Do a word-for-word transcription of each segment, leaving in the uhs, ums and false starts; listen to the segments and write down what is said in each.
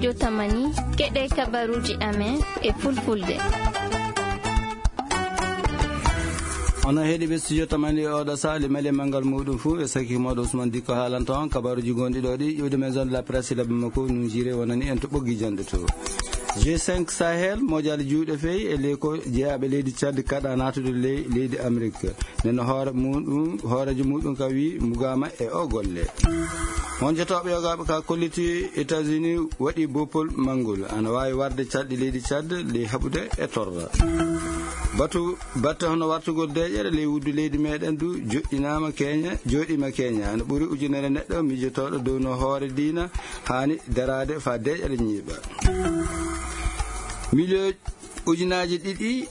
Jotamani, keɗe kabaruuji amen e fulfulde. Onon heɗiiɓe Studio Tamani, oɗo sahli mali e manngal muɗum fuu, e sakki moɗo Ousmane Dikko haalanta on kabaruuji gonɗi ɗo ɗi, iwde maison de la presse, labbi makko nun jire wonani en to ɓoggi janɗe to. G cinq Sahel, mojaali juuɗe fey e leyko jeyaaɓe leydi Tchad kaɗa naatude ley-, leydi Amérique. Nden hoore muɗum, hooreejo muɗum ka wi mugaama e o golle. Won jotooɓe yogaaɓe ka kolliti États-Unis waɗi boppol manngol. Ana waawi warde calɗi leydi Tchad ley haɓude e torra. Batu, batte hono wartugol deeƴere ley wuddu leydi meɗen du joɗɗinaama Kenya, joɗima Kenya. Ana ɓuri ujunere neɗɗo mijotooɗo dow no hoore diina haani daraade fa deeƴere ñiiɓa. Miliyo Ujunaaji ɗiɗi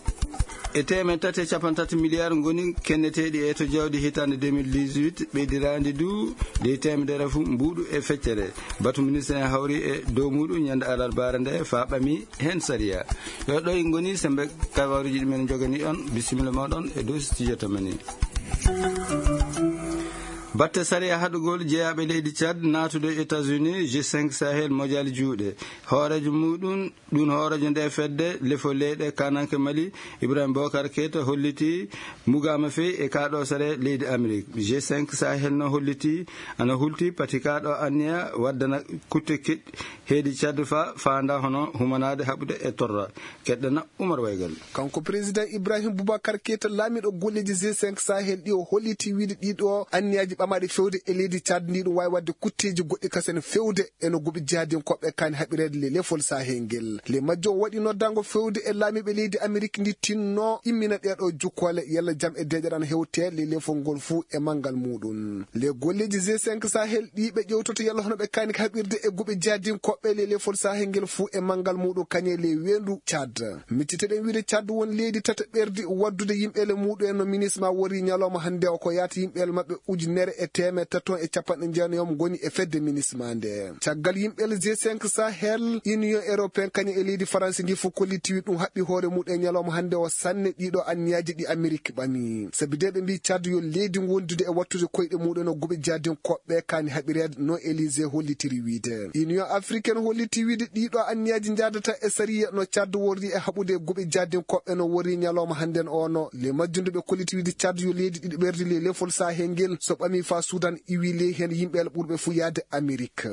e teemeɗɗe tati e capanɗe tati miliyaar ngoni kenneteeɗi e to jawdi hitaande deux mille dix-huit, ɓeydiraandi du ley teemedere fu mbuuɗu e feccere. Batu ministre en hawri e dow muɗum ñande alarbaare nde fa ɓami heen sariya. Yo ɗo e ngoni sembe kabaruuji ɗi men njogani on. Bisimilla moɗon e dow studio tamani. Batte sariya haɗugol jeyaaɓe leydi Tchad naatude États-Unis, G cinq Sahel mojaali juuɗe. Hooreejo muɗum Ɗun hooreejo nde fedde lefol leyɗe kananke Mali, Ibrahim Bokar Keita, holliti mugaama fey e kaɗo sare leydi Amerik. G cinq Sahel no holliti ana hulti pati kaɗo anniya waddana kutte keɗɗi heedi Tchad fa faanda hono humanaade haɓude e torra. Keɗɗana Umar Waygal. Kanko président Ibrahim Boubacar Keita, laamiɗo golleeji G cinq Sahel ɗi, o holliti wiide ɗiɗo anniyaaji ɓamaaɗi fewde e leydi Tchad ndi, ɗum waawi waɗde kutteeji goɗɗi kasen fewde e no goɓi jihadinkoɓe kaani haɓireede le lefol Sahel ngel. Le majjo o waɗi noddaango fewde e laamiiɓe leydi Amerik ndi tinno immina ɗeeɗo jukkoole yalla jam e deeƴere ana hewte le lefol ngol fuu e manngal muɗum. Le golleeji G cinq Sahel ɗi ɓe ƴewtoto yalla hono ɓe kaani haɓirde e goɓi jihadinkoɓe le lefol Sahel ngel fuu e manngal muɗum kañe le weendu Tchad. Micciteɗen wiide Tchad won leydi tata ɓerdi waddude yimɓeele muɗum en no minisma wori ñalawma hannde o ko yaata yimɓeele maɓɓe ujunere e teemeɗɗe tato e capanɗe jeenayi ngoni e fedde minisma nde. Caggal yimɓeele G cinq Sahel, Union Européen kañum e leydi Faransi ndi fof kollitiwi ɗum haɓɓi hoore muɗum e ñalawma hannde o sanne ɗiɗo anniyaaji ɗi Amerik ɓami. Sabi de ɓe mbi Tchad yo leydi wondude e wattude koyɗe muɗum no goɓe jadinkoɓe kaani haɓireede no Élysée hollitiri wiide. Union Africaine holliti wiide ɗiɗo anniyaaji njadata e sariya no Tchad worri e haɓude goɓe jadinkoɓe no worri ñalawma hannden o no. Le majjunde ɓe kolliti wiide Tchad yo leydi ɗiɗi ɓerdi le lefol Sahel ngel so ɓami fa Sudan iwi ley heen yimɓe ɓurɓe fuu yaade Amerik.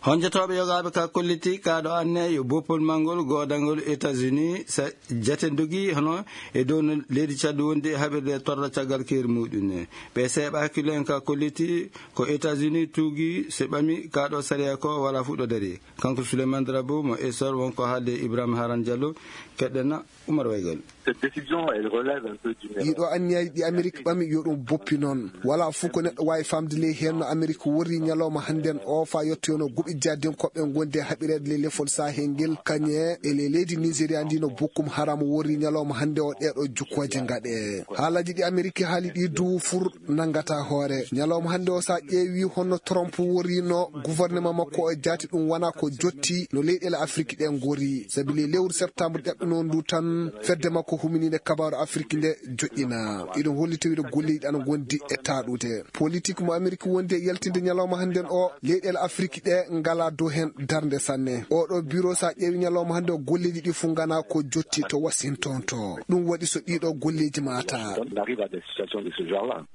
Honjotooɓe yogaaɓe ka kolliti kaɗo anne yo boppol manngol goodangol États-Unis sa jaten dogi hono e dow no leydi Tchad wondi e haɓirde torra caggal keeri muɗum ne. Ɓe seeɓa hakkille en ka kolliti ko États-Unis tuugi se ɓami kaɗo sariya ko wala fuɗɗo dari. Kanko Souleymane Drabo mo Essor wonko haalde Ibrahim Haran Diallo, keɗɗen na Umar Waygal. Cette décision, elle relève un peu du nerf. Ɗiɗo anniyaaji ɗi Amerik ɓami yo ɗum boppi noon. Wala fof ko neɗɗo waawi famde ley heen no Amerik worri ñalawma hannden o fa yettoyono goɓi jadinkoɓe gonde haɓireede ley lefol Sahel ngel kañe e ley leydi Nigeria ndi no Boko Haram worri ñalawma hannde o ɗeeɗo jukkooje ngaɗe. Haalaaji ɗi Amerik haali ɗi du fur nangata hoore. Ñalawma hannde o sa ƴeewi honno Trump worrino gouvernement makko o jaati ɗum wona ko jotti no leyɗeele Afrik ɗe ngori. Sabi ley lewru septembre ƴaɓɓino ndu tan fedde makko humininde kabaaru Afrik nde joƴƴina. Iɗum holli tawi ɗo golleeji ɗi ana ngondi e taaɗude. Politik mo Amerik wondi e yaltinde ñalawma hannden o leyɗeele Afrik ɗe ngala dow heen darnde sanne. Oɗo bureau sa ƴeewi ñalawma hannde o golleeji ɗi fu ngana ko jotti to Washington to. Ɗum waɗi so ɗiɗo golleeji mata. On arrive à des situations de ce genre-là.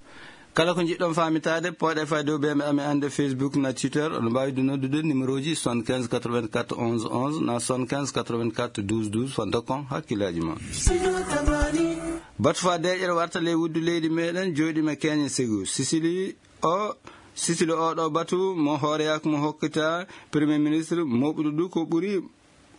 Kala ko njiɗɗon faamitaade, pooɗe fayde o ɓe amen annde Facebook na Twitter, oɗo mbaawi du noddude numéro ji soixante-quinze quatre-vingt-quatre onze onze na soixante-quinze quatre-vingt-quatre douze douze, fanta kon hakkillaaji mon. Batu fa deeƴere warta ley wuddu leydi meɗen, jooɗima Kenya Segu. Sicily o, Sicily o ɗo batu mo hooreyaku mo hokkita Premier Ministre moɓudu du ko ɓuri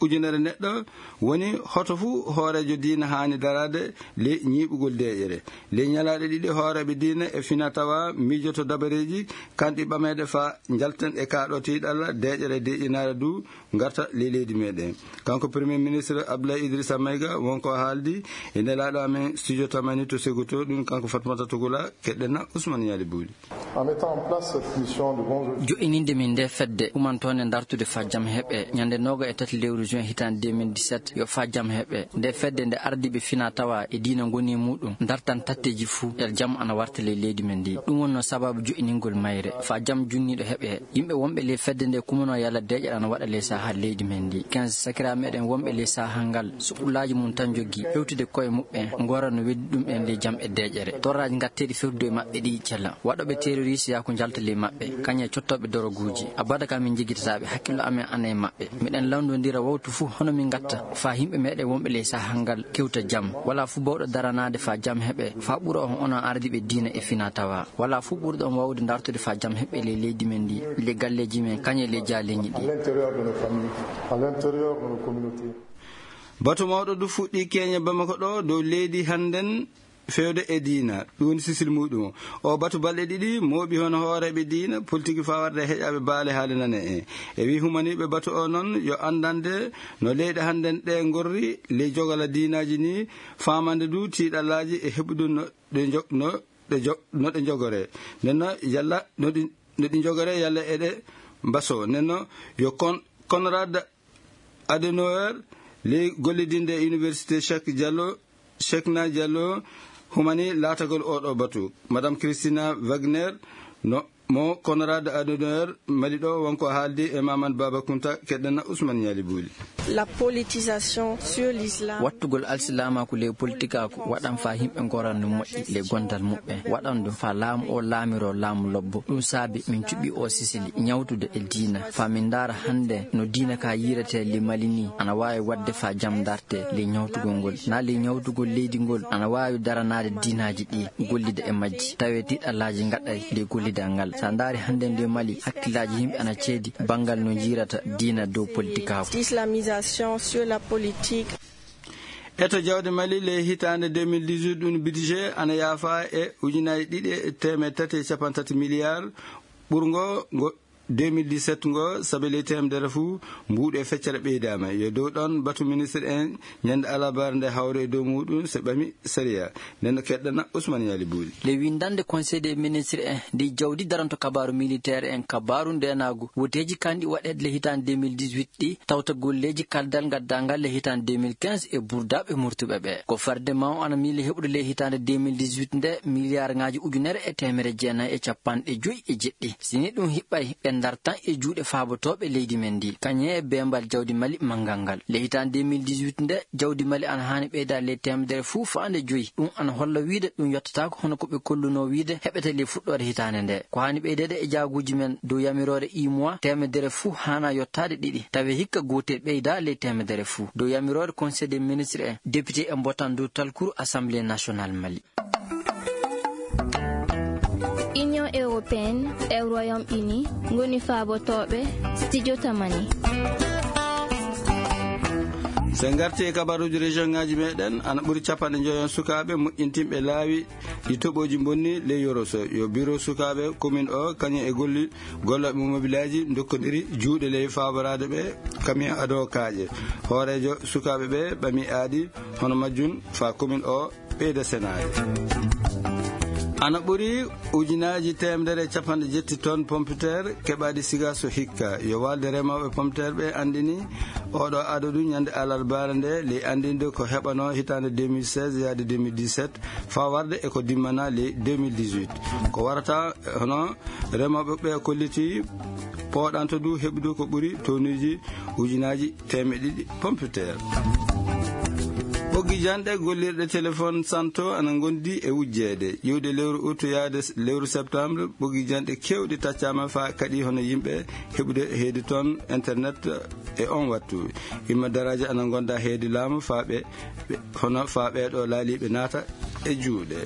ujunere neɗɗo woni hoto fuu hooreejo diina haani daraade ley ñiiɓugol deeƴere. Ley ñalaaɗe ɗiɗi hooreeɓe diina e fina tawa miijoto dabareeji kanɗi ɓameede fa njalten e kaaɗo tiiɗalla deeƴere deeƴinaare du ngarta ley leydi meɗen. Kanko Premier Ministre Abdoulaye Idrissa Maïga wonko haaldi e nelaaɗo amen studio tamani to Seguto, ɗum kanko Fatmata Tugula, keɗɗen na Ousmane Yali Bouli. En mettant en place cette mission de bon jour. Jo'ininde min nde fedde humantoonde dartude fa jam heɓe ñande nooga e tati lewru juin hitaande deux mille dix-sept, yo fa jam heɓe. Nde fedde nde ardiiɓe fina tawa e diina ngoni e muɗum dartan tatteji fuu e jam ana warta ley leydi men ndi. Ɗum wonno sababu jo'iningol mayre fa jam junniiɗo heɓe. Yimɓe wonɓe ley fedde nde kumano yalla deeƴere ana waɗa ley saaha leydi men ndi. Quinze sakira meɗen wonɓe ley saaha ngal, suɓulaaji mum tan joggi, hewtude koye muɓɓen, ngora no weddi ɗum en ley jam e deeƴere. Torraaji ngatteeɗi fewtude e maɓɓe ɗi cela. Waɗooɓe terroriste yaa ko njalta ley maɓɓe, kañum e cottooɓe doroguuji. Abada ka min jiggitataaɓe, hakkillo amen ana e maɓɓe. Miɗen lawndondira wawtu fuu hono min ngatta, faa yimɓe meɗen wonɓe ley saaha ngal kewta jam. Wala fuu bawɗo daranaade faa jam heɓe, faa ɓura on onon ardiiɓe diina e fina tawa. Wala fuu ɓurɗo on wawde dartude faa jam heɓe ley leydi men ndi, ley galleeji men, kañum e ley jaaleeñi ɗi. À l'intérieur de nos familles, à l'intérieur de nos communautés. Batu mawɗo du fuɗɗi Keñe Bamako ɗo dow leydi hannden fewde e diina. Ɗum woni sisil muɗum. O batu balɗe ɗiɗi, mooɓi hono hooreeɓe diina, politique faa warde e heƴaaɓe baale haali nane en. E wi humaniiɓe batu o noon, yo anndande no leyɗe hannden ɗe ngorri, ley jogala diinaaji ni, faamande du tiiɗalaaji e heɓude no ɗe njo-, no ɗe jo-, no ɗe njogoree. Nden no yalla no ɗi, no ɗi njogoree yalla eɗe mbasoo. Nden no yo kon-, Konrad Adenauer, ley gollidinde e Université Cheikh Diallo, Cheikhna Diallo, humani laatagol oɗo batu. Madame Christina Wagner, no mo Konrad Adenauer, Mali ɗo, wonko haaldi e Maman Baba Kunta, keɗɗana Ousmane Ñaali Buuli. La politisation sur l'islam. Wattugol alsilaamaaku ley politikaaku waɗan faa yimɓe ngoran no moƴƴi ley gondal muɓɓen. Waɗan ɗum faa laamu o laamiroo laamu lobbo. Ɗum saabi min cuɓi o sisili ñawtude e diina. Faa min ndaara hannde no diina ka yiiretee ley Mali ni ana waawi waɗde faa jam dartee ley ñawtugol ngol. Naa ley ñawtugol leydi ngol ana waawi daranaade diinaaji ɗi, gollida e majji. Tawee tiiɗalaaji ngaɗay ley gollidal ngal. Sa ndaari hannde nde Mali, hakkillaaji yimɓe ana ceedi banngal no njiirata diina dow politikaaku. Islamisation sur la politique. Eto jawdi Mali ley hitaande deux mille dix-huit, ɗum budget ana yaafa e ujunaaji ɗiɗi e teemeɗɗe tati e cappanɗe tati miliyaar, ɓurngo ngo deux mille dix-sept ngo, sabi ley teemedere fuu, mbuuɗu e feccere ɓeydaama. Yo dow ɗon batu ministre en ñande alarbaare nde hawre e dow muɗum, so ɓami sariya. Nden no keɗɗana Ousmane Yali Booli. Le winndannde Conseil des ministres en, ndi jawdi daranto kabaaru militaire en, kabaaru ndeenaagu, woteeji kanɗi waɗeede le hitaande deux mille dix-huit ɗi, tawta golleeji kaldal ngaddaangal le hitaande deux mille quinze e burdaaɓe murtuɓe ɓe. Ko farde maw ana miili heɓude le hitaande deux mille dix-huit nde miliyaarŋaaji ujunere e teemere jeenayi e cappanɗe joyi e jeɗɗi. Si ni ɗum hiɓɓay, ɓe ndartan e juuɗe faabotooɓe leydi men ndi. Kañum e beembal jawdi Mali manngal ngal. Le hitaande deux mille dix-huit nde, jawdi Mali ana haani ɓeydaade le teemedere fuu faande joyi. Ɗum ana holla wiide ɗum yottataako hono ko ɓe kollunoo wiide heɓete le fuɗɗoore hitaande nde. Ko haani ɓeydeede e jaaguuji men dow yamiroore imois, teemedere fuu haana yottaade ɗiɗi. Tawi hikka gootel ɓeyda le teemedere fuu. Dow yamiroore Conseil des ministres en, député en mbotan dow talkuru Assemblée nationale Mali. Union européenne e Royaume-Uni ngoni faabotooɓe Studio Tamani. So en ngartii e kabaruuji région ŋaaji meɗen, ana ɓuri cappanɗe njoyon sukaaɓe moƴƴintinɓe laawi ɗi toɓooji bonni ley Yoroso. Yo biro sukaaɓe commune o, kañum e golli-, gollooɓe mobilaaji ndokkondiri juuɗe ley faaboraade ɓe kamiyon ado kaaƴe. Hooreejo sukaaɓe ɓe ɓami aadi hono majjum faa commune o ɓeyda senaade. Ana ɓuri ujunaaji teemedere e cappanɗe jetti tonnes pompiteer keɓaaɗi siga so hikka. Yo waalde remooɓe pompiteer ɓe anndini oɗo adadu ñande alarbaare nde, ley anndinde ko heɓanoo hitaande deux mille seize yaade deux mille dix-sept, faa warde e ko dimmana ley deux mille dix-huit. Ko warata hono remooɓe ɓe kolliti pooɗanto du heɓude ko ɓuri tonuuji ujunaaji teemeɗɗe ɗiɗi pompiteer. Ɓoggi janɗe gollirɗe téléphone santo ana ngondi e wujjeede. Iwde lewru août yaade s-, lewru septembre, ɓoggi janɗe keewɗi taccaama faa kaɗi hono yimɓe heɓude heedi toon internet e on wattu. Imma daraaji ana ngonda heedi laamu faa ɓe, ɓe, hono faa ɓeeɗo laaliiɓe naata e juuɗe.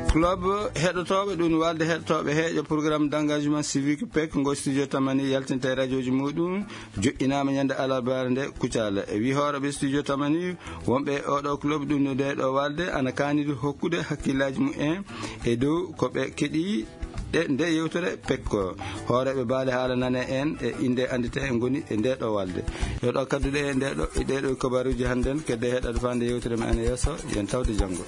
Club heɗotooɓe, ɗum waalde heɗotooɓe heeƴa programme d'engagement civique pec ngo Studio Tamani yaltinta e rajooji muɗum, joƴƴinaama ñande alarbaare nde Kucala. E wi hooreeɓe Studio Tamani, wonɓe e oɗo club ɗum no nde ɗo waalde ana kaanidi hokkude hakkillaaji mumen e dow ko ɓe keɗi ɗe nde yewtere pekko. Hooreeɓe baale haala nane en e innde anndite en ngoni e nde ɗo waalde. Yo ɗo kadduɗe e nde ɗo, e ɗe ɗo kabaruuji hannden, kedde heɗaade faande yewtere men ana yeeso, yen tawde janngo.